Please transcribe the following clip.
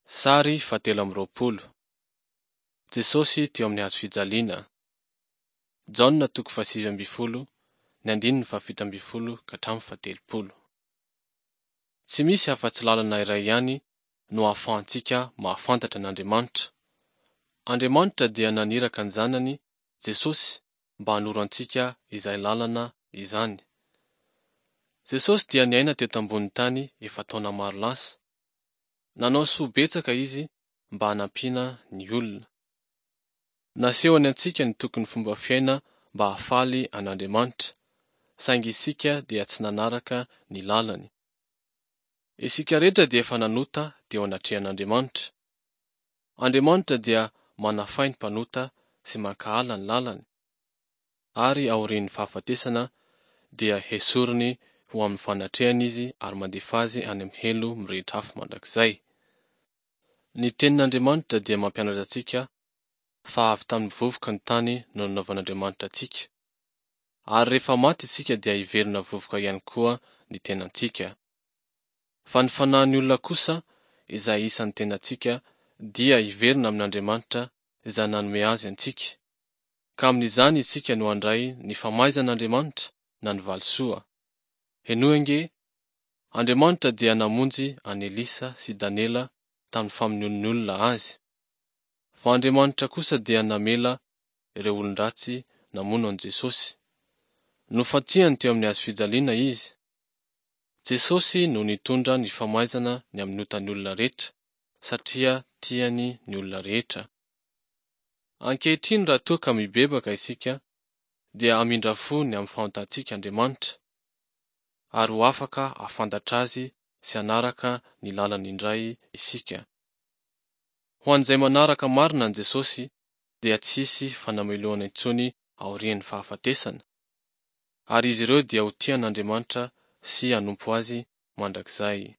Sary fahatelo amby roapolo. Jesosy teo amin'ny hazo fijaliana. Jaona toko fahasivy ambin'ny folo, ny andininy fahafito ambin'ny folo ka hatramin'ny fahatelopolo. Tsy misy afa-tsy lalana iray ihany no ahafahantsika mahafantatra an'Andriamanitra. Andriamanitra dia naniraka ny Zanany, Jesosy, mba hanoro antsika izay lalana izany. Jesosy dia niaina teto ambonin'ny tany efa taona maro lasa. Nanao soa betsaka Izy mba hanampiana ny olona. Nasehony antsika ny tokony fomba fiaina mba hahafaly an'Andriamanitra, saingy isika dia tsy nanaraka ny lalany. Isika rehetra dia efa nanota teo anatrehan'Andriamanitra. Andriamanitra dia manafay ny mpanota sy mankahala ny lalany, ary aorian'ny fahafatesana dia hesoriny ho amin'ny fanatrehany izy ary mandefa azy any amin'ny helo mirehitra afo mandrakizay. Ny Tenin'Andriamanitra dia mampianatra antsika fa avy tamin'ny vovoka ny tany no nanaovan'Andriamanitra antsika, ary rehefa maty isika dia hiverina vovoka ihany koa ny tenantsika. Fa ny fanahin'ny olona kosa, izay isan'ny tenantsika, dia hiverina amin'Andriamanitra izay nanome azy antsika, ka amin'izany isika no handray ny famaizan'Andriamanitra na ny valisoa. Henoy ange, Andriamanitra dia namonjy an'i Elisa sy Daniela tamin'ny famonoan'ny olona azy. Fa Andriamanitra kosa dia namela ireo olon-dratsy namono an'i Jesosy. Nofantsihany teo amin'ny hazofijaliana izy. Jesosy no nitondra ny famaizana ny amin'ny otan'ny olona rehetra, satria tiany ny olona rehetra. Ankehitriny raha toa ka mibebaka isika, dia hamindra fo ny amin'ny fahotantsika Andriamanitra, ary ho afaka hahafantatra Azy sy hanaraka ny lalany indray isika. Ho an'izay manaraka marina an'i Jesosy, dia tsy hisy fanamelohana intsony aorian'ny fahafatesana, ary izy ireo dia ho tia an'Andriamanitra sy hanompo Azy mandrakizay.